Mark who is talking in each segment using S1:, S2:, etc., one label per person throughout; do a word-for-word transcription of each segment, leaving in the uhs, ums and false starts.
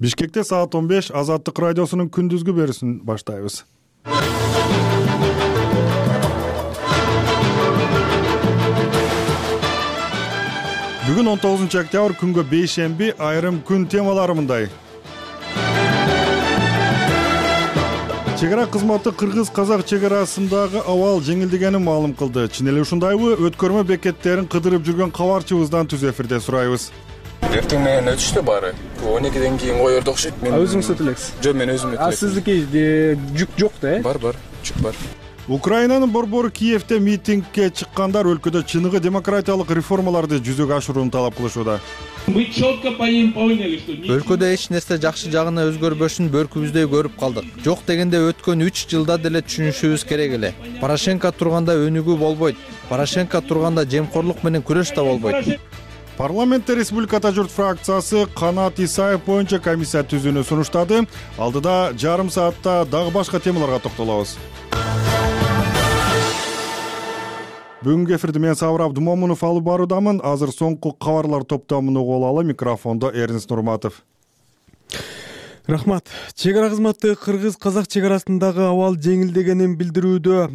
S1: Бишкекте саат он беш Азаттык радиосунун күндүзгү берүүсүн баштайбыз. Бүгүн он тогузунчу октябрь күнгө бейшемби, айрым күн темалары мындай. Чегара кызматы кыргыз-казак чегарасындагы абал жеңилдегенин маалым кылды. Чын эле ушундайбы? Өткөрмө бекеттерин кыдырып жүргөн кабарчыбыздан түз эфирде сурайбыз.
S2: Эртең менен өтүштү баары. он экиден кийин коерду окшойт.
S3: Мен өзүңүз өтө элексиз?
S2: Жок, мен өзүм өтө элексин.
S3: А сиздики жүк жок да, э?
S2: Бар, бар, жүк бар.
S1: Украинанын борбору Киевде митингге чыккандар өлкөдө чыныгы демократиялык реформаларды жүзөгө ашырууну талап кылышууда.
S4: Мы четко поняли, что
S5: өлкөдө эч нерсе жакшы жагына өзгөрбөшүн бөркүбүздөй көрүп калдык. Жок дегенде өткөн үч жылда деле түшүнүшүбүз керек эле. Порошенко турганда өнүгүү болбойт. Порошенко турганда жемкорлук менен күрөш да болбойт.
S1: Парламентте Республиката журт фракциясы Канат Исаев боюнча комиссия түзүүнү сунуштады. Алдыда жарым саатта дагы башка темаларга токтолобуз. Бүгүнкү эфирди мен Сабыр Абдумомунов алып баруудамын. Азыр соңку кабарлар топтомун угуп алалы. Микрофондо Эрнис Нурматов.
S3: Рахмат. Чегара кызматы кыргыз-казак чегарасындагы абал жеңилдегенин билдирүүдө.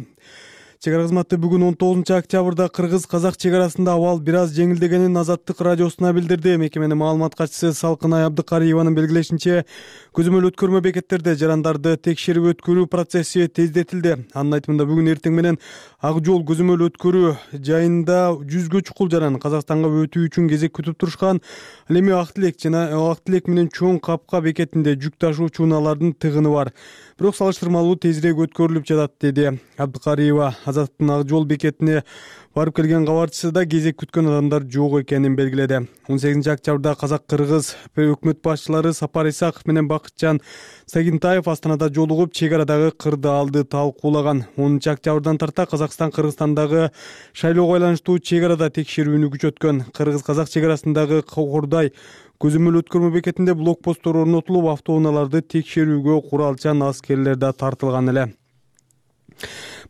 S3: Чегара кызматы бүгүн он тогузунчу октябрда кыргыз-казак чегарасында абал бир аз жеңилдегенин Азаттык радиосуна билдирди. Мекеменин маалымат катчысы Салкынай Абдыкариеванын белгилешинче, көзөмөл өткөрмө бекеттерде жарандарды текшерип өткөрүү процесси тездетилди. Анын айтымында бүгүн эртең менен Ак жол көзөмөл өткөрүү жайында жүзгө чукул жаран Казакстанга өтүү үчүн кезек күтүп турушкан. Ал эми Ак Тилек жана Ак Тилек менен Чоң Капка бекетинде жүк ташуучу унаалардын тыгыны бар. Бирок салыштырмалуу тезирээк өткөрүлүп жатат, деди Абдыкариева. Азаттын Ак жол бекетине барып келген кабарчысыда кезек күткөн адамдар жок экенин белгиледи. он сегизинчи октябрда казак-кыргыз өкмөт башчылары Сапар Исаков менен Бакытжан Сагинтаев Астанада жолугуп, чегарадагы кырдаалды талкуулаган. онунчу октябрдан тарта Казакстан Кыргызстандагы шайлоого байланыштуу чегарада текшерүүнү күчөткөн. Кыргыз-казак чегарасындагы Кордай көзөмөл өткөрмө бекетинде блокпосттор орнотулуп, автоунааларды текшерүүгө куралчан аскерлер да тартылган эле.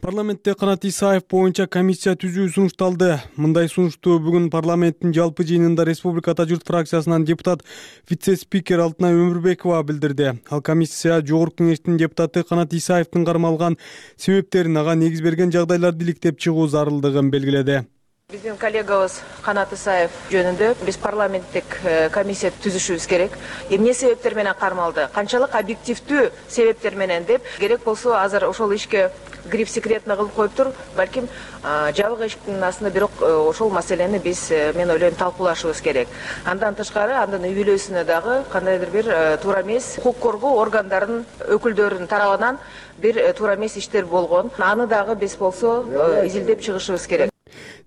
S3: Парламентте Канат Исаев боюнча комиссия түзүү сунушталды. Мындай сунушту бүгүн парламенттин жалпы жыйынында Республиката журт фракциясынан депутат вице-спикер Алтынай Өмүрбекова билдирди. Ал комиссия Жогорку Кеңештин депутаты Канат Исаевдин кармалган себептерин, ага негиз берген жагдайларды иликтеп чыгуу зарылдыгын белгиледи.
S6: Биздин коллегабыз Канат Исаев жөнүндө биз парламенттик комиссия түзүшүбүз керек. Эмне себептер менен кармалды? Канчалык объективдүү себептер менен деп керек болсо азыр ошол ишке гриф секретно кылып коюптур. Балким жабык эшиктин астында, бирок ошол маселени биз мен ойлойм талкуулашыбыз керек. Андан тышкары, андан үй бүлөсүнө дагы кандайдыр бир туура эмес укук коргоо органдарынын өкүлдөрүнүн тарабынан бир туура эмес иштер болгон. Аны дагы биз болсо изилдеп чыгышыбыз керек,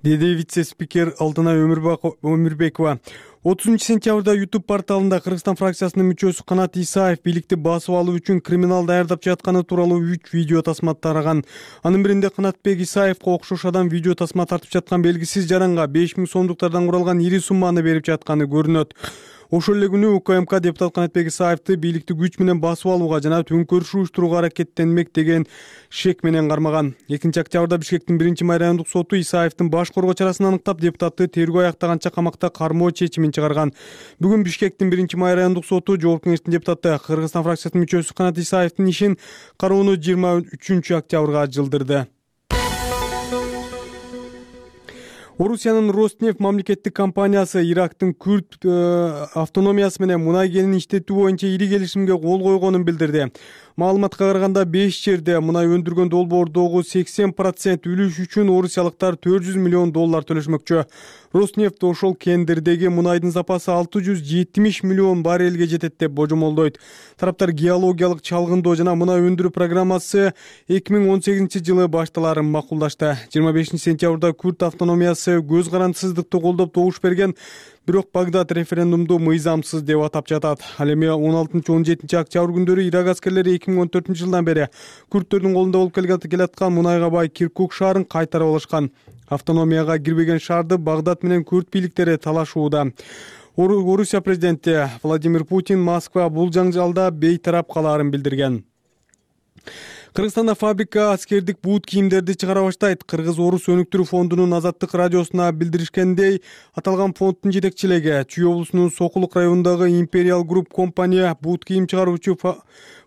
S3: деди вице-спикер Алтынай Өмүрбекова. отузунчу сентябрда YouTube порталында Кыргызстан фракциясынын мүчөсү Канат Исаев бийликти басып алуу үчүн криминал даярдап жатканы тууралуу үч видео тасма тараган. Анын биринде Канатбек Исаевга окшош адам видео тасма тартып жаткан белгисиз жаранга беш миң сомдуктардан куралган ири сумманы берип жатканы көрүнөт. Ошол эле күнү УКМК депутат Канатбек Исаевди бийликти күч менен басып алууга жана төңкөрүш уюштурууга аракеттенмек деген шек менен кармаган. экинчи октябрда Бишкектин биринчи май райондук соту Исаевдин баш коргоо чарасын аныктап, депутатты тергөө аяктаганча камакта кармоо чечимин чыгарган. Бүгүн Бишкектин биринчи май райондук соту Жогорку Кеңештин депутаты Кыргызстан фракциясынын мүчөсү Канат Исаевдин ишин кароону жыйырма үчүнчү октябрга жылдырды. Орусиянын Роснефть мамлекеттик компаниясы Ирактын Күрд автономиясы менен мунай кенин иштетүү боюнча ири келишимге кол койгонун билдирди. Маалыматка караганда беш жерде мунай өндүргөн долбоордогу сексен процент үлүш үчүн орусиялыктар төрт жүз миллион доллар төлөшмөкчү. Роснефть ошол кендирдеги мунайдын запасы алты жүз жетимиш миллион баррелге жетет деп божомолдойт. Тараптар геологиялык чалгындоо жана мунай өндүрүү программасы эки миң он сегизинчи жылы башталарын макулдашты. жыйырма бешинчи сентябрда Күрд автономиясы көз карандысыздыкты колдоп добуш берген, бирок Багдад референдумду мыйзамсыз деп атап жатат. Ал эми он алтынчы он жетинчи октябрь күндөрү Ирак аскерлери эки миң он төртүнчү жылдан бери күрдтөрдүн колунда болуп келаткан мунайга бай Киркук шаарын кайтарып алышкан. Автономияга кирбеген шаарды Багдад менен күрд бийликтери талашууда. Орусия президенти Владимир Путин Москва бул жаңжалда бейтарап калаарын билдирген. Кыргызстанда фабрика аскердик бут кийимдерди чыгара баштайт. Кыргыз-Орус өнүктүрүү фондунун Азаттык радиосуна билдиришкендей, аталган фонддун жетекчилиги Чүй облусунун Сокулук районундагы Imperial Group компания бут кийим чыгаруучу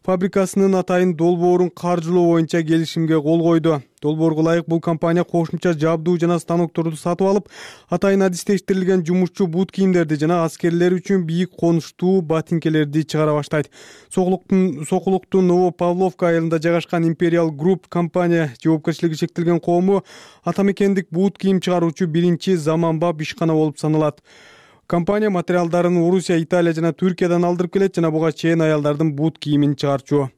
S3: фабрикасынын атайын долбоорун каржылоо боюнча келишимге кол койду. Долбоорго ылайык бул компания кошумча жабдуу жана станокторду сатып алып, атайын адистештирилген жумушчу бут кийимдерди жана аскерлер үчүн бийик конуштуу ботинкелерди чыгара баштайт. Сокулуктун Сокулуктун Новопавловка айылында жайгашкан Imperial Group компания жоопкерчилиги шектелген коому атамекендик бут кийим чыгаруучу биринчи заманбап ишкана болуп саналат. Компания материалдарын Орусия, Италия жана Түркиядан алдырып келет жана буга чейин аялдардын бут кийимин чыгарчу.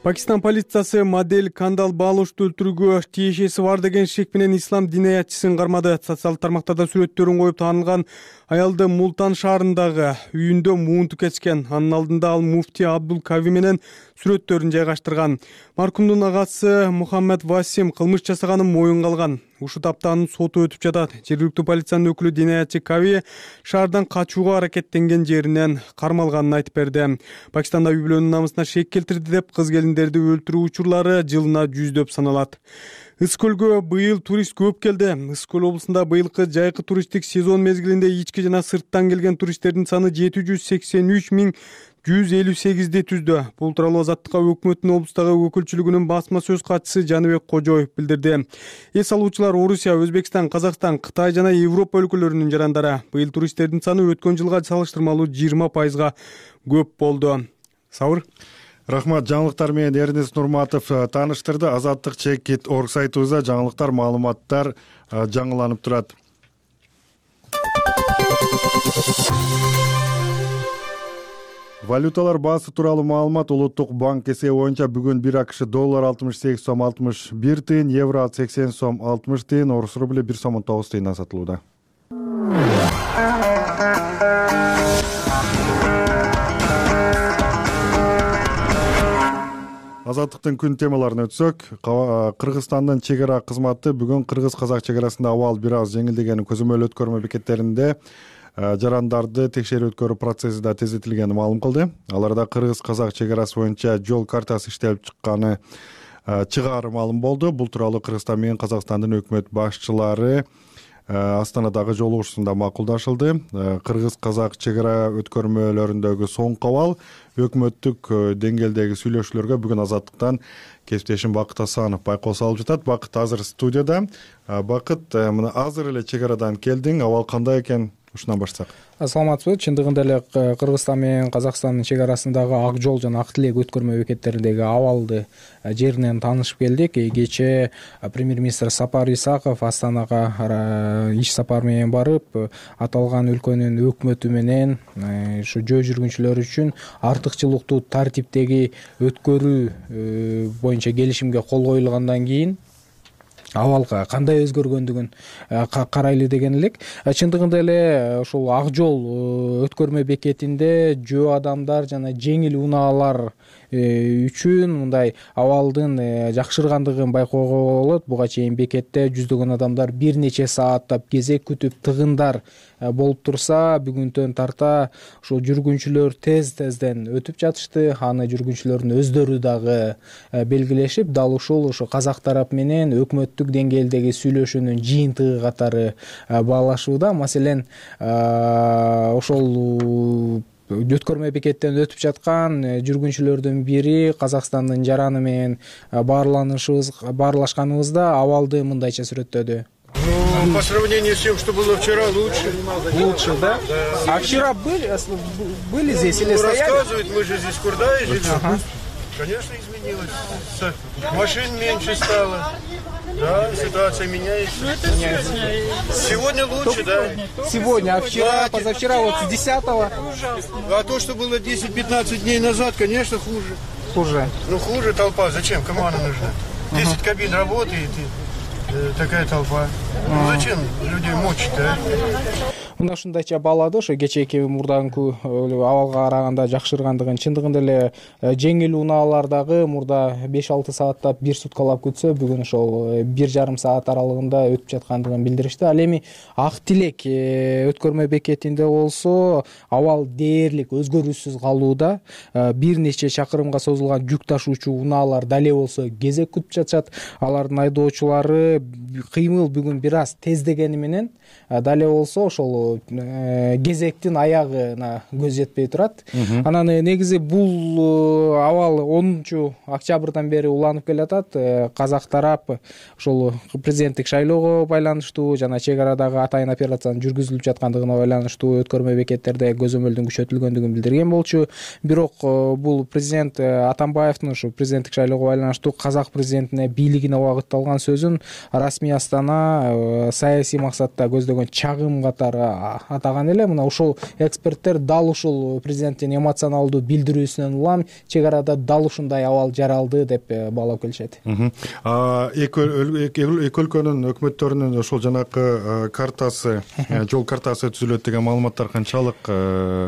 S3: Пакистан полициясы модель Кандал Балушту өлтүрүүгө тиешеси бар деген шек менен ислам динаятчысын кармады. Социалдык тармактарда сүрөттөрүн коюп таанылган аялды Мултан шаарындагы үйүндө муунту кетишкен. Анын алдында ал муфти Абдул Кави менен сүрөттөрүн жайгаштырган. Маркумдун агасы Мухаммед Васим кылмыш жасаганын моюнга алган. Ушул тапта анын соту өтүп жатат. Жергиликтүү полициянын өкүлү динаятчы Кави шаардан качууга аракеттенген жеринен кармалганын айтып берди. Пакистанда үй-бүлөнүн намысына шек келтирди деп кыз келиндерди өлтүрүү учурлары жылына жүздөп саналат. Ысык-көлгө быйыл турист көп келди. Ысык-көл облусунда быйылкы жайкы туристтик сезон мезгилинде ички жана сырттан келген туристтердин саны жети жүз сексен үч миң жүз элүү сегизди түздү. Бул тууралуу Азаттыкка өкмөттүн облустагы өкүлчүлүгүнүн басма сөз катчысы Жаныбек Кожоев билдирди. Эс алуучулар Орусия, Өзбекстан, Казакстан, Кытай жана Европа өлкөлөрүнүн жарандары. Быйыл туристтердин саны өткөн жылга салыштырмалуу жыйырма пайызга көп болду. Сабыр.
S1: Рахмат, жаңылыктар менен Эрнест Нурматов тааныштырды. Азаттык чекит орг сайтыбызда жаңылыктар, маалыматтар жаңыланып турат. Валюталар баасы тууралуу маалымат. Улуттук банк эсеби боюнча бүгүн бир АКШ доллар алтымыш сегиз сом алтымыш бир тыйын, евро сексен сом алтымыш тыйын, орус рубли бир сом он тогуз тыйындан сатылууда. Азаттыктын күн темаларына өтсөк, Кыргызстандын чек ара кызматы бүгүн кыргыз-казак чек арасында абал бир аз жеңилдегенин көзөмөл өткөрмө бекеттеринде жарандарды текшерүү өткөрүү процесси да тездетилгенин маалым кылды. Аларда кыргыз-казак чек арасы боюнча жол картасы иштелип чыкканы чыгаары маалым болду. Бул тууралуу Кыргызстан менен Казакстандын өкмөт башчылары Астанадагы жолугушуусунда макулдашылды. Кыргыз-казак чек ара өткөрмөлөрүндөгү соңку абал өкмөттүк деңгээлдеги сүйлөшүүлөргө бүгүн Азаттыктан кесиптешим Бакыт Асанов байкоо салып жатат. Бакыт азыр студияда. Бакыт, мына азыр эле чек арадан келдиң. Абал кандай экен? Ушунан баштасак.
S7: Саламатсызбы? Чындыгында эле Кыргызстан менен Казакстандын чек арасындагы Ак жол жана Ак тилек өткөрмө бекеттериндеги абалды жеринен таанышып келдик. Кечээ премьер-министр Сапар Исаков Астанага иш сапар менен барып, аталган өлкөнүн өкмөтү менен ушу жөө жүргүнчүлөр үчүн артыкчылыктуу тартиптеги өткөрүү боюнча келишимге кол коюлгандан кийин абал кандай өзгөргөндүгүн карайлы деген элек. Чындыгында эле ушул Ак жол өткөрмө бекетинде жөө адамдар жана жеңил унаалар үчүн мындай абалдын жакшыргандыгын байкоого болот. Буга чейин бекетте жүздөгөн адамдар бир нече сааттап кезек күтүп тыгындар болуп турса, бүгүнтөн тарта ушул жүргүнчүлөр тез-тезден өтүп жатышты. Аны жүргүнчүлөрдүн өздөрү дагы белгилешип, дал ушул ошо казак тарап менен өкмөттүк деңгээлдеги сүйлөшүүнүн жыйынтыгы катары баалашууда. Маселен, ошол өткөрмө бекеттен өтүп жаткан жүргүнчүлөрдүн бири Казакстандын жараны менен баарланышыбыз баарлашканыбызда абалды мындайча сүрөттөдү.
S8: Ну, по сравнению с тем, что было вчера, лучше.
S7: Лучше, да? А вчера были, были здесь или
S8: ну,
S7: стояли?
S8: Рассказывают, мы же здесь в Курдае живем. Ага. Конечно, изменилось. Машин меньше стало. Да, ситуация меняется.
S9: Ну, это сегодня.
S8: Сегодня лучше, да.
S7: Сегодня, а вчера, да, позавчера, вот с десятого.
S8: Ужасно. А то, что было десять-пятнадцать дней назад, конечно, хуже.
S7: Хуже.
S8: Ну, хуже толпа. Зачем? Кому она нужна? десять ага. кабин работает, и такая толпа. Ну, зачем людей мучить, а?
S7: мына ушундайча баалады. Ошо кечээки мурдаңкы абалга караганда жакшыргандыгын, чындыгында эле жеңил унаалар дагы мурда беш алты сааттап бир суткалап күтсө, бүгүн ошол бир жарым саат аралыгында өтүп жаткандыгын билдиришти. Ал эми Ак Тилек өткөрмө бекетинде болсо абал дээрлик өзгөрүүсүз калууда. Бир нече чакырымга созулган жүк ташуучу унаалар дале болсо кезек күтүп жатышат. Алардын айдоочулары кыймыл бүгүн бир аз тездегени менен дале болсо ошол кезектин аягына көз жетпей турат. Анан негизи бул абал онунчу октябрдан бери уланып келатат. Казак тарап ошол президенттик шайлоого байланыштуу жана чек арадагы атайын операциянын жүргүзүлүп жаткандыгына байланыштуу өткөрмө бекеттерде көзөмөлдүн күчөтүлгөндүгүн билдирген болчу. Бирок бул президент Атамбаевдин ушу президенттик шайлоого байланыштуу казак президентине бийлигине багытталган сөзүн расмий Астана саясий максатта көздөгөн чагым катары атаган эле. Мына ушул эксперттер дал ушул президенттин эмоционалдуу билдирүүсүнөн улам чек арада дал ушундай абал жаралды деп баалап келишет.
S1: Эки өлкөнүн өкмөттөрүнүн ошол жанакы картасы, жол картасы түзүлөт деген маалыматтар канчалык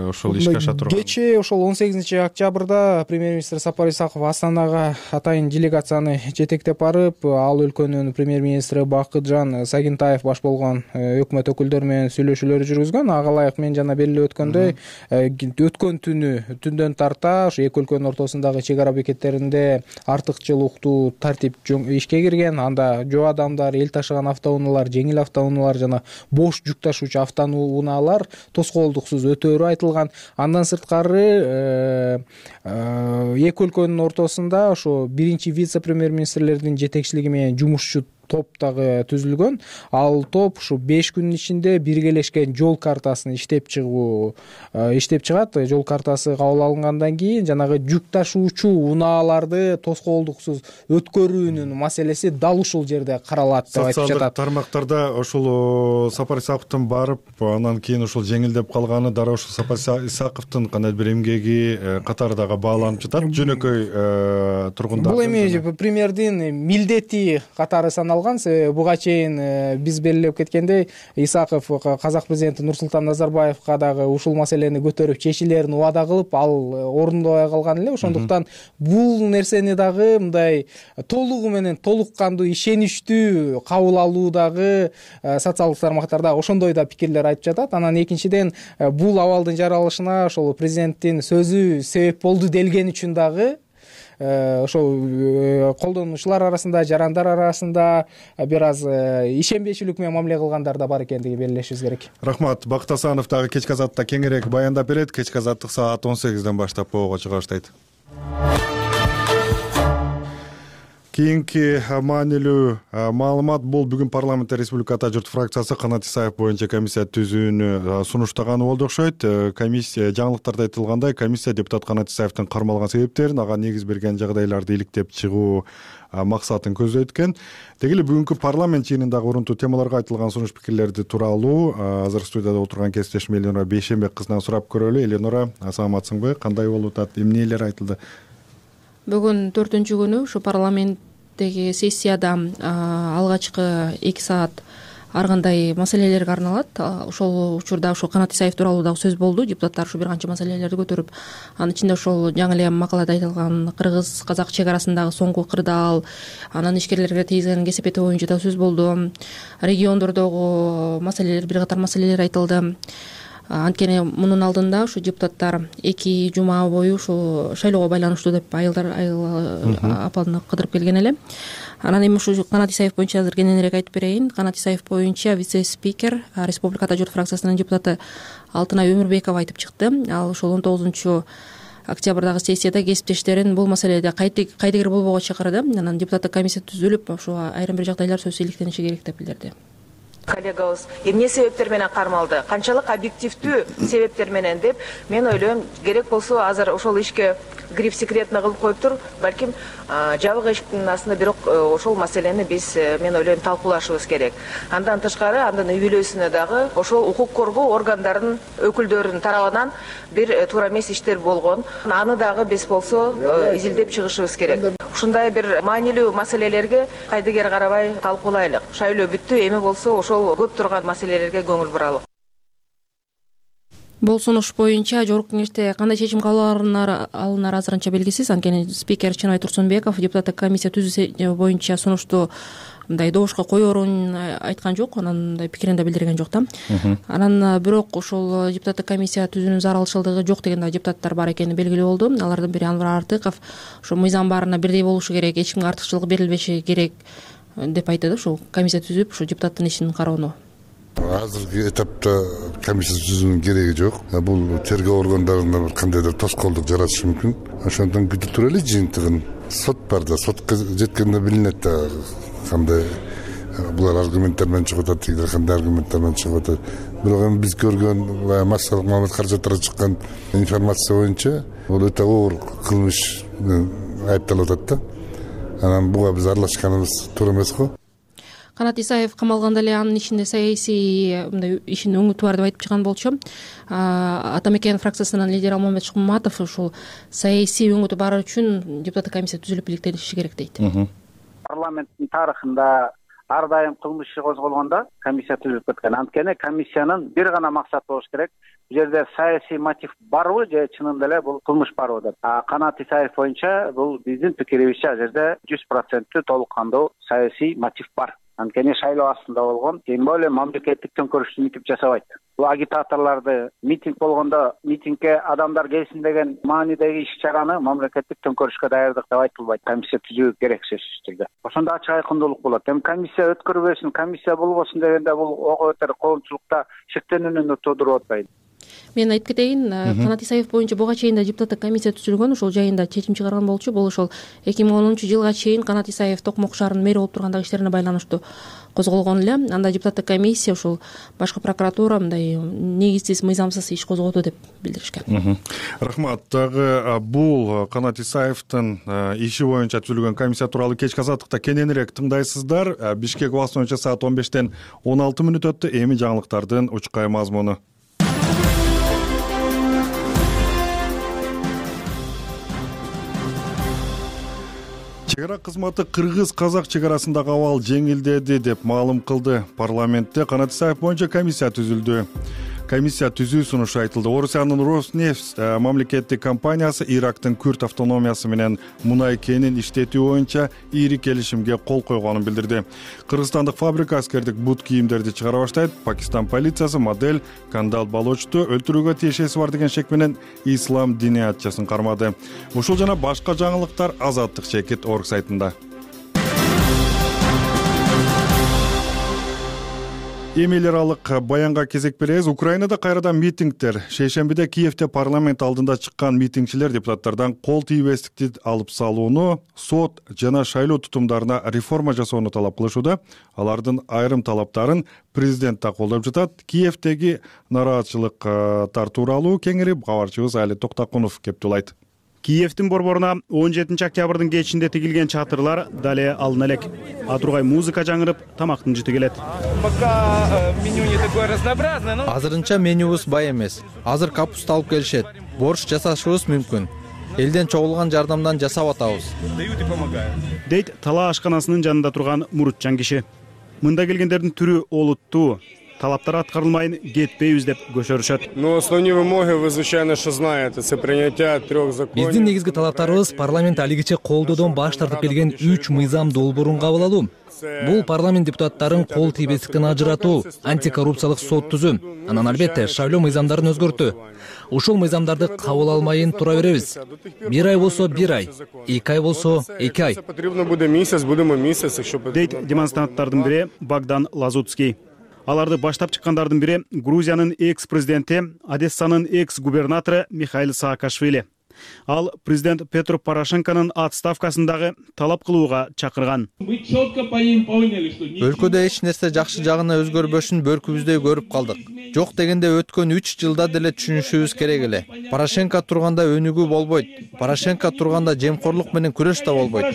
S1: ошол ишке аша турган?
S7: Кечээ ошол он сегизинчи октябрда премьер-министр Сапар Исаков Астанага атайын делегацияны жетектеп барып, ал өлкөнүн премьер-министри Бакытжан Сагинтаев баш болгон өкмөт өкүлдөрү менен сүйлөшүүлөр жүргүзгөн. Ага ылайык мен жана белгилеп өткөндөй, өткөн түнү түндөн тарта ошо эки өлкөнүн ортосундагы чек ара бекеттеринде артыкчылыктуу тартип ишке кирген. Анда жоо адамдар, эл ташыган автоунаалар, жеңил автоунаалар жана бош жүк ташуучу автоунаалар тоскоолдуксуз өтөөрү айтылган. Андан сырткары эки өлкөнүн ортосунда ошо биринчи вице-премьер-министрлердин жетекчилиги менен жумушчу топ дагы түзүлгөн. Ал топ ушу беш күнүн ичинде биргелешкен жол картасын иштеп чыгуу иштеп чыгат. Жол картасы кабыл алынгандан кийин жанагы жүк ташуучу унааларды тоскоолдуксуз өткөрүүнүн маселеси дал ушул жерде каралат деп айтып жатат.
S1: Социалдык тармактарда ошол Сапар Исаковдун барып, анан кийин ошол жеңилдеп калганы дары ошол Сапар Исаковдун кандай бир эмгеги катары дагы бааланып жатат. Жөнөкөй тургундар.
S7: Бул эми премьердин милдети катары саналган. Буга чейин биз белгилеп кеткендей, Исаков казак президенти Нурсултан Назарбаевга дагы ушул маселени көтөрүп чечилерин убада кылып, ал орундобой калган эле. Ошондуктан бул нерсени дагы мындай толугу менен толук кандуу ишеничтүү кабыл алуудагы социалдык тармактарда ошондой да пикирлер айтып жатат. Анан экинчиден бул абалдын жаралышына ошол президенттин сөзү себеп болду делген үчүн дагы ошол колдонуучулар арасында, жарандар арасында бир аз ишенбейчүлүк менен мамиле кылгандар да бар экендиги белгилешибиз керек.
S1: Рахмат. Бакыт Асанов дагы кечки азатта кеңирээк баяндап берет. Кечки азаттык саат он сегизден баштап боого чыга баштайт. Кийинки маанилүү маалымат бул бүгүн парламентте Республика Ата журт фракциясы Канат Исаев боюнча комиссия түзүүнү сунуштаганы болду окшойт. Комиссия жаңылыктарда айтылгандай, комиссия депутат Канат Исаевдин кармалган себептерин, ага негиз берген жагдайларды иликтеп чыгуу максатын көздөйт экен. Деги эле бүгүнкү парламент жыйынындагы урунтуу темаларга айтылган сунуш пикирлерди тууралуу азыр студияда отурган кесиптешим Эленора Бейшенбек кызынан сурап көрөлү. Эленора, саламатсыңбы? Кандай болуп атат? Эмнелер айтылды?
S9: Бүгүн төртүнчү күнү ушу парламенттеги сессияда алгачкы эки саат ар кандай маселелерге арналат. Ошол учурда ошол Канат Исаев тууралуу дагы сөз болду. Депутаттар ушу бир канча маселелерди көтөрүп, анын ичинде ошол жаңы эле макалада айтылган кыргыз-казак чек арасындагы соңку кырдаал, анан ишкерлерге тийгизген кесепети боюнча да сөз болду. Региондордогу маселелер, бир катар маселелер айтылды. Анткени мунун алдында ушу депутаттар эки жума бою ушул шайлоого байланыштуу деп айылдар айыл апаны кыдырып келген эле. Анан эми ушу Канат Исаев боюнча азыр кененирээк айтып берейин. Канат Исаев боюнча вице-спикер Республика Ата журт фракциясынын депутаты Алтынай Өмүрбекова айтып чыкты. Ал ошол он тогузунчу октябрдагы сессияда кесиптештерин бул маселеде кайдыгер болбоого чакырды. Анан депутаттык комиссия түзүлүп, ошо айрым бир жагдайлар сөзсүз иликтениши керек деп билдирди.
S6: Коллегабыз эмне себептер менен кармалды, канчалык объективдүү себептер менен деп мен ойлойм, керек болсо азыр ошол ишке гриф секретно кылып коюптур, балким жабык эшиктин астында, бирок ошол маселени биз мен ойлойм талкуулашыбыз керек. Андан тышкары, андан үй бүлөсүнө дагы ошол укук коргоо органдарынын өкүлдөрүнүн тарабынан бир туура эмес иштер болгон. Аны дагы биз болсо изилдеп чыгышыбыз керек. Ушундай бир маанилүү маселелерге кайдыгер карабай талкуулайлык. Шайлоо бүттү, эми болсо ошол көп турган маселелерге көңүл буралы.
S9: Бул сунуш боюнча жогорку кеңеште кандай чечим кабыл алынары азырынча белгисиз. Анткени спикер Чынай Турсунбеков депутаттык комиссия түзүү боюнча сунушту мындай добушка коерун айткан жок, анан мындай пикирин да билдирген жок да. Анан бирок ошол депутаттык комиссия түзүүнүн зарылчылыгы жок деген да депутаттар бар экени белгилүү болду. Алардын бири Анвар Артыков ошо мыйзам баарына бирдей болушу керек, эч кимге артыкчылык берилбеши керек деп айтты. Ошол комиссия түзүп ошо депутаттын ишин кароону
S10: азыркы этапта комиссия түзүүнүн кереги жок. Бул тергөө органдарында бир кандайдыр тоскоолдук жаратышы мүмкүн. Ошондон күтүп турайлы жыйынтыгын. Сот бар да, сотко жеткенде билинет да кандай булар аргументтер менен чыгып атат, тигилер кандай аргументтер менен чыгып атат. Бирок эми биз көргөн баягы массалык маалымат каражаттарга чыккан информация боюнча бул өтө оор кылмыш айыпталып атат да. Анан буга биз аралашканыбыз туура эмес го.
S9: Канат Исаев камалганда эле анын ичинде саясий мындай ишин өңүтү бар деп айтып чыккан болчу. Ата мекен фракциясынын лидери Алмамбет Шыкмаматов ушул саясий өңүтү бар үчүн депутаттык комиссия түзүлүп иликтениши керек дейт.
S11: Парламенттин тарыхында ар дайым кылмыш иши козголгондо комиссия түзүлүп кеткен. Анткени комиссиянын бир гана максаты болуш керек. Бул жерде саясий мотив барбы же чынында эле бул кылмыш барбы деп. Канат Исаев боюнча бул биздин пикирибизче ал жерде жүз проценттүү толук кандуу саясий мотив бар. Анткени шайлоо астында болгон, тем более мамлекеттик төңкөрүштү митип жасабайт. Бул агитаторлорду митинг болгондо митингге адамдар келсин деген маанидеги иш-чараны мамлекеттик төңкөрүшкө даярдык деп айтылбайт. Комиссия түзүү керек сөзсүз түрдө. Ошондо ачык айкындуулук болот. Эми комиссия өткөрбөсүн, комиссия болбосун дегенде бул ого бетер коомчулукта шектенүүнү туудуруп атпайбы?
S9: Мен айтып кетейин, Канат Исаев боюнча буга чейин да депутаттык комиссия түзүлгөн, ошол жайында чечим чыгарган болчу. Бул ошол эки миң онунчу жылга чейин Канат Исаев Токмок шаарынын мэри болуп тургандагы иштерине байланыштуу козголгон эле. Анда депутаттык комиссия ушул башкы прокуратура мындай негизсиз, мыйзамсыз иш козгоду деп билдиришкен.
S1: Рахмат. Дагы бул Канат Исаевдин иши боюнча түзүлгөн комиссия тууралуу кечки азаттыкта кененирээк тыңдайсыздар. Бишкек убакыты боюнча саат он бештен он алты мүнөт өттү. Эми жаңылыктардын учкай мазмуну. Чек ара кызматы кыргыз-казак чек арасындагы абал жеңилдеди деп маалым кылды. Парламентте Канат Исаев боюнча комиссия түзүлдү. Комиссия түзүү сунушу айтылды. Орусиянын Роснефть мамлекеттик компаниясы Ирактын Күрд автономиясы менен мунай кенин иштетүү боюнча ири келишимге кол койгонун билдирди. Кыргызстандык фабрика аскердик бут кийимдерди чыгара баштайт. Пакистан полициясы модель Кандал Балочту өлтүрүүгө тиешеси бар деген шек менен ислам диниятчысын кармады. Ушул жана башка жаңылыктар Азаттык чекит орг сайтында. Эми эл аралык баянга кезек беребиз. Украинада кайрадан митингдер. Шейшембиде Киевде парламент алдында чыккан митингчилер депутаттардан кол тийбестикти алып салууну, сот жана шайлоо тутумдарына реформа жасоону талап кылышууда. Алардын айрым талаптарын президент да колдоп жатат. Киевдеги нараатчылыктар тууралуу кеңири кабарчыбыз Али Токтакунов кептулайт.
S12: Киевдин борборуна он жетинчи октябрдын кечинде тигилген чатырлар дале алына элек. А тургай музыка жаңырып, тамактын жыты келет.
S5: Азырынча менюбуз бай эмес. Азыр капуста алып келишет. Борщ жасашыбыз мүмкүн. Элден чогулган жардамдан жасап атабыз.
S12: Дейт Тала ашканасынын жанында турган Мурутчан киши. Мында келгендердин түрү олуттуу. Талаптар аткарылмайын кетпейбиз деп көчөрүшөт.
S13: Но основные вымоги вы звычайно что знаете, это принятие трех законов.
S14: Биздин негизги талаптарыбыз парламент алигиче колдоодон баш тартып келген үч мыйзам долбоорун кабыл алуу. Бул парламент депутаттарын кол тийбестиктен ажыратуу, антикоррупциялык сот түзүү, анан албетте шайлоо мыйзамдарын өзгөртүү. Ушул мыйзамдарды кабыл алмайын тура беребиз. Бир ай болсо бир ай, эки ай болсо эки ай.
S13: Потребно буде месяц, будемо месяц еще.
S12: Дейт демонстранттардын бири Богдан Лазутский. Аларды баштап чыккандардын бири Грузиянын экс-президенти, Одессанын экс-губернатору Михаил Саакашвили. Ал президент Петр Порошенконун отставкасындагы талап кылууга чакырган.
S5: Өлкөдө эч нерсе жакшы жагына өзгөрбөшүн бөркүбүздөй көрүп калдык. Жок дегенде өткөн үч жылда деле түшүнүшүбүз керек эле. Порошенко турганда өнүгүү болбойт. Порошенко турганда жемкорлук менен күрөш да болбойт.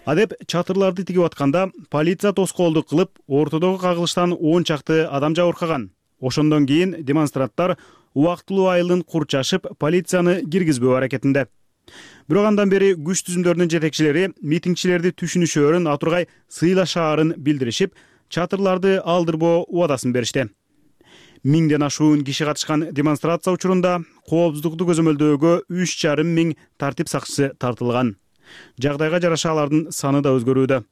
S12: Адеп чатырларды тигип атканда полиция тоскоолдук кылып, ортодогу кагылыштан он чакты адам жабыркаган. Ошондон кийин демонстранттар убактылуу айылын курчашып, полицияны киргизбөө аракетинде. Бирок андан бери күч түзүмдөрүнүн жетекчилери митингчилерди түшүнүшөөрүн, атургай сыйлашаарын билдиришип, чатырларды алдырбоо убадасын беришти. миңден ашуун киши катышкан демонстрация учурунда коопсуздукту көзөмөлдөөгө үч жарым миң тартип сакчысы тартылган. Жагдайга жараша алардын саны да өзгөрүүдө.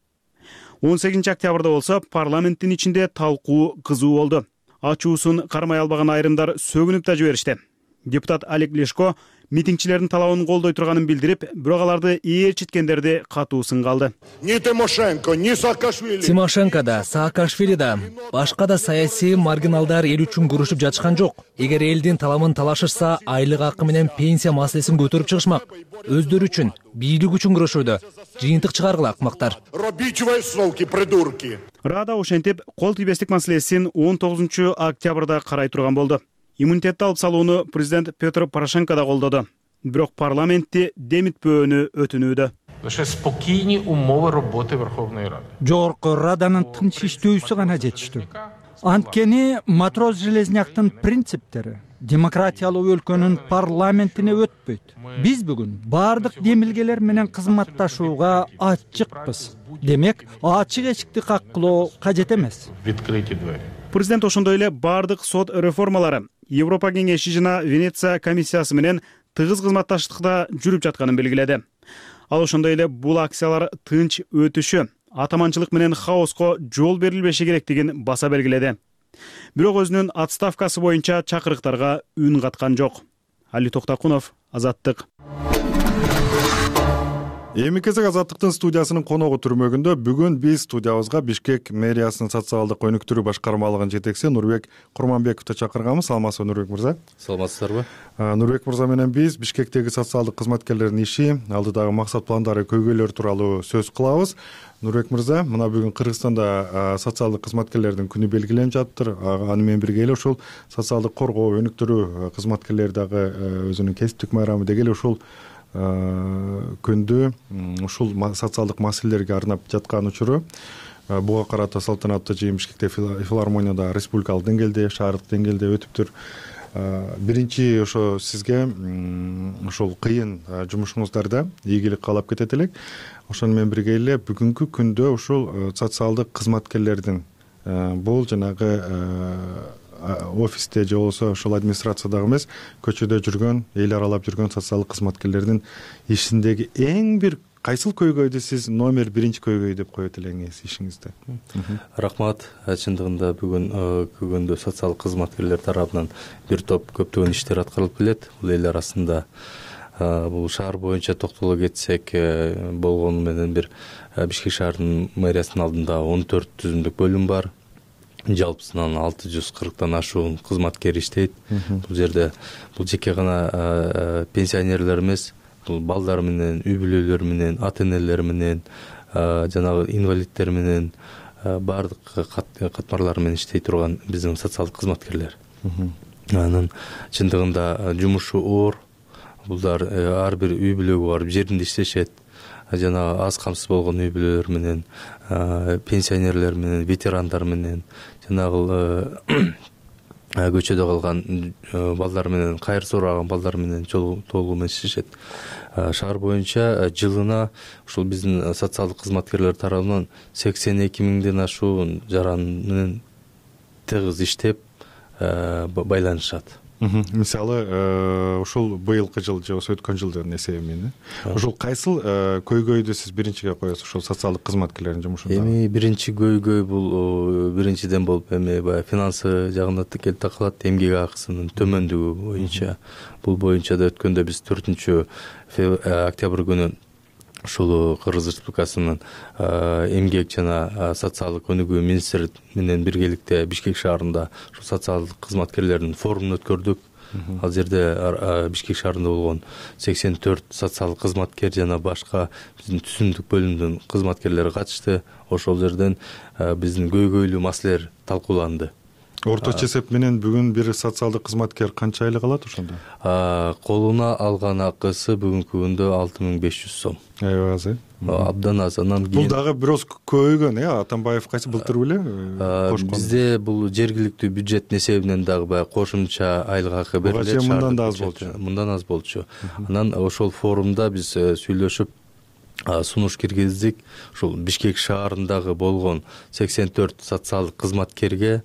S12: он сегизинчи октябрда болсо парламенттин ичинде талкуу кызуу болду. Ачуусун кармай албаган айрымдар сөгүнүп да жиберишти. Депутат Олег Лешко митингчилердин талабын колдой турганын билдирип, бирок аларды ээрчиткендерди катуу сынга алды.
S8: Ни Тимошенко, ни Саакашвили.
S14: Тимошенко да, Саакашвили да, башка да саясий маргиналдар эл үчүн күрөшүп жатышкан жок. Эгер элдин таламын талашышса, айлык акы менен пенсия маселесин көтөрүп чыгышмак. Өздөрү үчүн, бийлик үчүн күрөшүүдө. Жыйынтык чыгаргыла акмактар.
S8: Робите высновки, придурки.
S12: Рада ошентип, кол тийбестик маселесин он тогузунчу октябрда карай турган болду. Иммунитетти алып салууну президент Петр Порошенко да колдоду. Бирок парламентти демитпөөнү өтүнүүдө.
S15: Лише спокойні умови роботи Верховної Ради.
S16: Жогорку Раданын тынч иштөөсү гана жетиштүү. Анткени Матрос Железняктын принциптери демократиялуу өлкөнүн парламентине өтпөйт. Биз бүгүн бардык демилгелер менен кызматташууга ачыкпыз. Демек, ачык эшикти каккылоо кажет эмес.
S15: Відкриті двері.
S12: Президент ошондой эле бардык сот реформалары Европа кеңеши жана Венеция комиссиясы менен тыгыз кызматташтыкта жүрүп жатканын белгиледи. Ал ошондой эле бул акциялар тынч өтүшү, атаманчылык менен хаоско жол берилбеши керектигин баса белгиледи. Бирок өзүнүн отставкасы боюнча чакырыктарга үн каткан жок. Али Токтакунов, Азаттык.
S1: Эми кезек Азаттыктын студиясынын коногу түрмөгүндө. Бүгүн биз студиябызга Бишкек мэриясынын социалдык өнүктүрүү башкармалыгынын жетекчиси Нурбек Курманбековду чакырганбыз. Саламатсызбы, Нурбек мырза?
S17: Саламатсыздарбы?
S1: Нурбек мырза менен биз Бишкектеги социалдык кызматкерлердин иши, алдыдагы максат пландары, көйгөйлөр тууралуу сөз кылабыз. Нурбек мырза, мына бүгүн Кыргызстанда социалдык кызматкерлердин күнү белгиленип жатыр. Аны менен бирге эле ушул социалдык коргоо, өнүктүрүү кызматкерлери дагы өзүнүн кесиптик майрамы деги эле ушул күндү ушул социалдык маселелерге арнап жаткан учуру. Буга карата салтанаттуу жыйын Бишкекте филармонияда республикалык деңгээлде, шаардык деңгээлде өтүптүр. Биринчи ошо сизге ушул кыйын жумушуңуздарда ийгилик каалап кетет элек. Ошону менен бирге эле бүгүнкү күндө ушул социалдык кызматкерлердин бул жанагы офисте же болбосо ошол администрациядагы эмес, көчөдө жүргөн, эл аралап жүргөн социалдык кызматкерлердин ишиндеги эң бир кайсыл көйгөйдү сиз номер биринчи көйгөй деп коет элеңиз ишиңизде?
S17: Рахмат. Чындыгында бүгүн күндө социалдык кызматкерлер тарабынан бир топ көптөгөн иштер аткарылып келет. Бул эл арасында бул шаар боюнча токтоло кетсек, болгону менен бир Бишкек шаарынын мэриясынын алдында он төрт түзүмдүк бөлүм бар. Жалпысынан алты жүз кырктан ашуун кызматкер иштейт. Бул жерде бул жеке гана пенсионерлер эмес, бул балдар менен, үй бүлөлөр менен, ата-энелер менен, жанагы инвалидтер менен бардык катмарлар менен иштей турган биздин социалдык кызматкерлер. Анын чындыгында жумушу оор. Булар ар бир үй бүлөгө барып жеринде иштешет. Жана аз камсыз болгон үй бүлөлөр менен, пенсионерлер менен, ветерандар менен, жанагы көчөдө калган балдар менен, кайыр сураган балдар менен толугу менен иштешет. Шаар боюнча жылына ушул биздин социалдык кызматкерлер тарабынан сексен эки миңден ашуун жаран менен тыгыз иштеп байланышат.
S1: Мисалы, ушул быйылкы жыл же болбосо өткөн жылдын эсеби менен ушул кайсыл көйгөйдү сиз биринчиге коесуз ушул социалдык кызматкерлердин жумушунда?
S17: Эми биринчи көйгөй бул биринчиден болуп эми баягы финансы жагына келип такалат, эмгек акысынын төмөндүгү боюнча. Бул боюнча да өткөндө биз төртүнчү октябрь күнү ушул Кыргыз Республикасынын эмгек жана социалдык өнүгүү министри менен биргеликте Бишкек шаарында ушул социалдык кызматкерлердин форумун өткөрдүк. Ал жерде Бишкек шаарында болгон сексен төрт социалдык кызматкер жана башка биздин түзүмдүк бөлүмдүн кызматкерлери катышты. Ошол жерден биздин көйгөйлүү маселелер талкууланды.
S1: Орточо эсеп менен бүгүн бир социалдык кызматкер канча айлык алат ошондо?
S17: Колуна алган акысы бүгүнкү күндө алты миң беш жүз сом.
S1: Аябай аз, э?
S17: Абдан аз. Анан
S1: кийин бул дагы бирөөз көбөйгөн, э? Атамбаев кайсы былтыр беле кошкон?
S17: Бизде бул жергиликтүү бюджеттин эсебинен дагы баягы кошумча айлык акы берилет.
S1: Мындан да аз болчу.
S17: Мындан аз болчу. Анан ошол форумда биз сүйлөшүп сунуш киргиздик. Ушул Бишкек шаарындагы болгон сексен төрт социалдык кызматкерге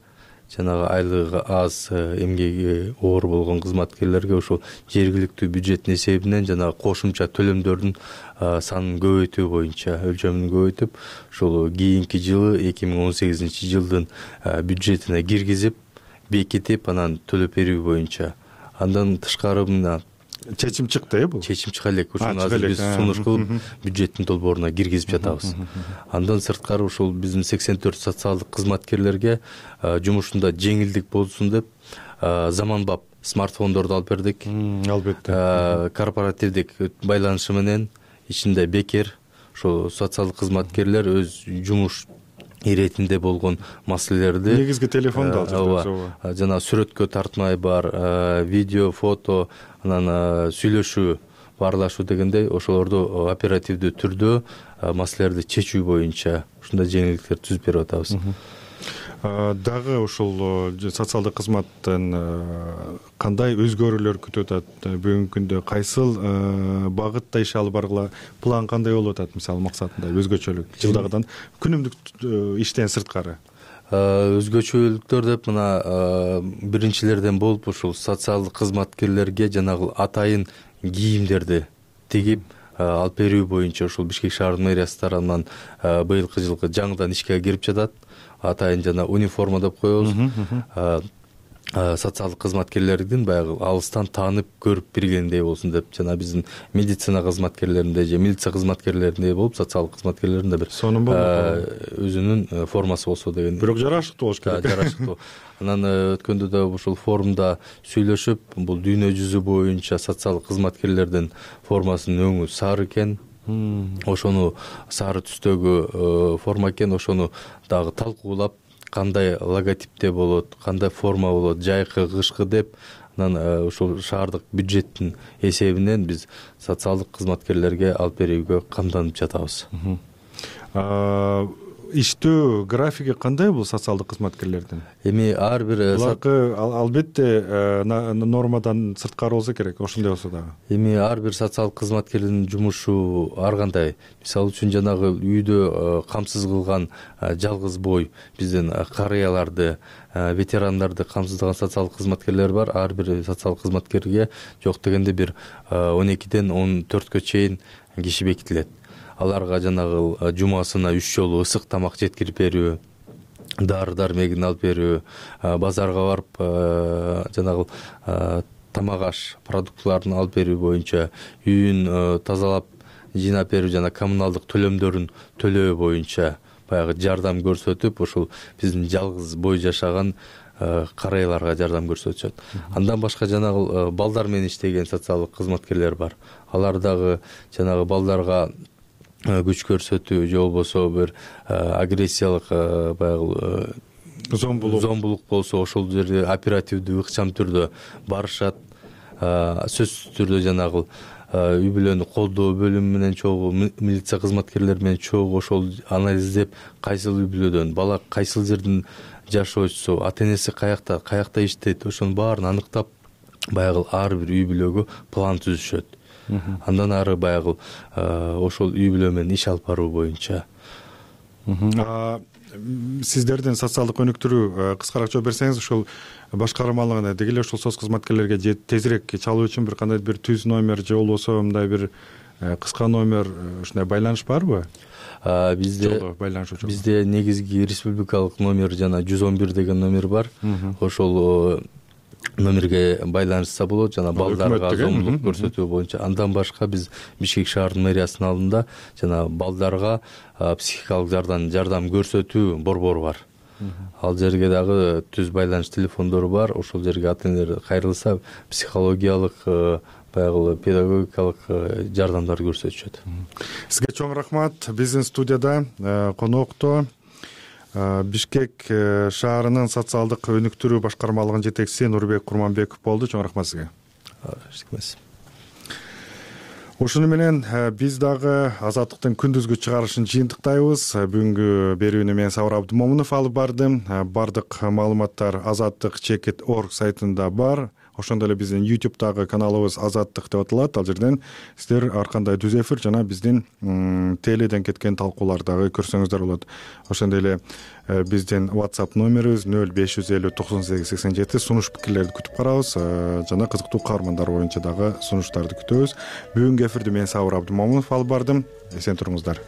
S17: жанагы айлыгы аз, эмгеги оор болгон кызматкерлерге ошол жергиликтүү бюджеттин эсебинен жанагы кошумча төлөмдөрдүн санын көбөйтүү боюнча өлчөмүн көбөйтүп, ошол кийинки жылы эки миң он сегизинчи жылдын бюджетине киргизип, бекитип, анан төлөп берүү боюнча. Андан тышкары мына
S1: чечим чыкты э бул.
S17: Чечим чыга элек. Ошону азыр биз сунуш кылып бюджеттин долбооруна киргизип жатабыз. Андан сырткары ушул биздин сексен төрт социалдык кызматкерлерге жумушунда жеңилдик болсун деп заманбап смартфондорду алып бердик.
S1: Албетте.
S17: Корпоративдик байланышы менен ичинде бекер ошо социалдык кызматкерлер өз жумуш иретинде болгон маселелерди
S1: негизги телефонду алып
S17: жатат. Жана сүрөткө тартмай бар, видео, фото, анан сүйлөшүү, баарлашуу дегендей ошолорду оперативдүү түрдө маселелерди чечүү боюнча ушундай жеңилдиктер түзүп берип атабыз.
S1: Дагы ушул социалдык кызматтын кандай өзгөрүүлөр күтүп атат? Бүгүнкү күндө кайсыл багытта иш алып баргыла план кандай болуп атат? Мисалы максатында өзгөчөлүк жылдагыдан күнүмдүк иштен сырткары.
S17: Өзгөчөлүктөр деп мына биринчилерден болуп ушул социалдык кызматкерлерге жанагы атайын кийимдерди тигип алып берүү боюнча ушул Бишкек шаардын мэриясы тарабынан быйылкы жылкы жаңыдан ишке кирип жатат. Атайын жана униформа деп коебуз. Социалдык кызматкерлердин баягы алыстан таанып көрүп билгендей болсун деп, жана биздин медицина кызматкерлеринде же милиция кызматкерлеринде болуп, социалдык кызматкерлеринде бир өзүнүн формасы болсо деген.
S1: Бирок жарашыктуу болуш керек.
S17: Жарашыктуу. Анан өткөндө да ушул форумда сүйлөшүп, бул дүйнө жүзү боюнча социалдык кызматкерлердин формасынын өңү сары экен. Ошону сары түстөгү форма экен, ошону дагы талкуулап, кандай логотипте болот, кандай форма болот, жайкы, кышкы деп, анан ушул шаардык бюджеттин эсебинен биз социалдык кызматкерлерге алып берүүгө камданып жатабыз.
S1: Иштөө графиги кандай бул социалдык кызматкерлердин?
S17: Эми ар бир
S1: буларкы албетте нормадан сырткары болсо керек, ошондой болсо дагы.
S17: Эми ар бир социалдык кызматкердин жумушу ар кандай. Мисалы үчүн жанагы үйдө камсыз кылган жалгыз бой биздин карыяларды, ветерандарды камсыздаган социалдык кызматкерлер бар. Ар бир социалдык кызматкерге жок дегенде бир он экиден он төрткө чейин киши бекитилет. Аларга жанагы жумасына үч жолу ысык тамак жеткирип берүү, дары дармегин алып берүү, базарга барып жанагы тамак аш продуктларын алып берүү боюнча, үйүн тазалап жыйнап берүү жана коммуналдык төлөмдөрүн төлөө боюнча баягы жардам көрсөтүп, ошол биздин жалгыз бой жашаган карыяларга жардам көрсөтүшөт. Андан башка жанагы балдар менен иштеген социалдык кызматкерлер бар. Алар дагы жанагы балдарга күч көрсөтүү же болбосо бир агрессиялык баягы
S1: зомбулук
S17: зомбулук болсо ошол жерде оперативдүү ыкчам түрдө барышат. Сөзсүз түрдө жанагы үй бүлөнү колдоо бөлүмү менен чогуу, милиция кызматкерлери менен чогуу ошол анализдеп, кайсыл үй бүлөдөн бала кайсыл жерден жашоочусу, ата-энеси каякта, каякта иштейт, ошонун баарын аныктап, баягы ар бир үй бүлөгө план түзүшөт. Андан ары баягы ошол үй бүлө менен иш алып баруу боюнча.
S1: Сиздердин социалдык өнүктүрүү кыскараак жооп берсеңиз, ошол башкармалыгына деги эле ошол соц кызматкерлерге же тезирээк чалуу үчүн бир кандай бир түз номер же болбосо мындай бир кыска номер, ушундай байланыш барбы?
S17: Бизде бизде негизги республикалык номер жана жүз он бир деген номер бар. Ошол номерге байланышса болот, жана балдарга зомбулук көрсөтүү боюнча. Андан башка биз Бишкек шаардын мэриясынын алдында жана балдарга психикалык жардам жардам көрсөтүү борбору бар. Ал жерге дагы түз байланыш телефондору бар. Ошол жерге ата-энелер кайрылса, психологиялык, баягы педагогикалык жардамдар көрсөтүшөт.
S1: Сизге чоң рахмат. Биздин студияда конокто Бишкек шаарынын социалдык өнүктүрүү башкармалыгынын жетекчиси Нурбек Курманбеков болду. Чоң рахмат сизге. Ошону менен биз дагы Азаттыктын күндүзгү чыгарылышын жыйынтыктайбыз. Бүгүнкү берүүнү мен Сабыр Абдымомунов алып бардым. Бардык маалыматтар азаттык чекит точка орг сайтында бар. ошондой эле биздин ютубтагы каналыбыз Азаттык деп аталат. Ал жерден сиздер ар кандай түз эфир жана биздин теледен кеткен талкууларды дагы көрсөңүздөр болот. Ошондой эле биздин WhatsApp номерибиз нөл беш жүз элүү токсон сегиз сексен жети. Сунуш пикирлерди күтүп карабыз жана кызыктуу каармандар боюнча дагы сунуштарды күтөбүз. Бүгүнкү эфирди мен Сабыр Абдымомунов алып бардым. Эсен туруңуздар.